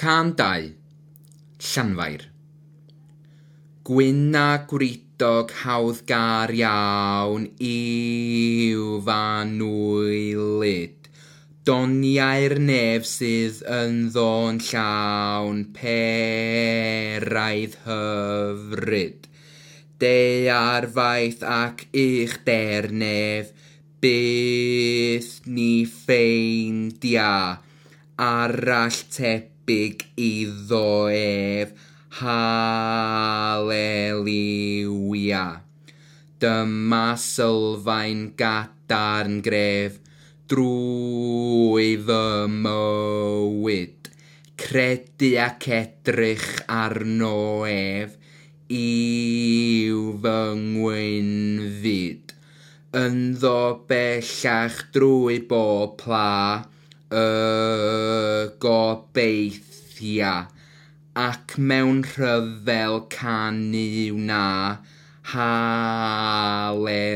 Cân 2. Llanfair. Gwyn a gwridog hawddgar iawn yw f'anwylyd. Doniau'r nef sydd ynddo'n llawn peraidd hyfryd. Daear faith ac uchder nef, byth ni ffeindia arall tebyg iddo ef. Haleliwia. Dyma sylfaen gadarn gref drwy fy mywyd. Credu ac edrych arno ef yw fy ngwynfyd. Ynddo bellach drwy bob pla y gobeithia, ac mewn rhyfel canu wna, haleliwia.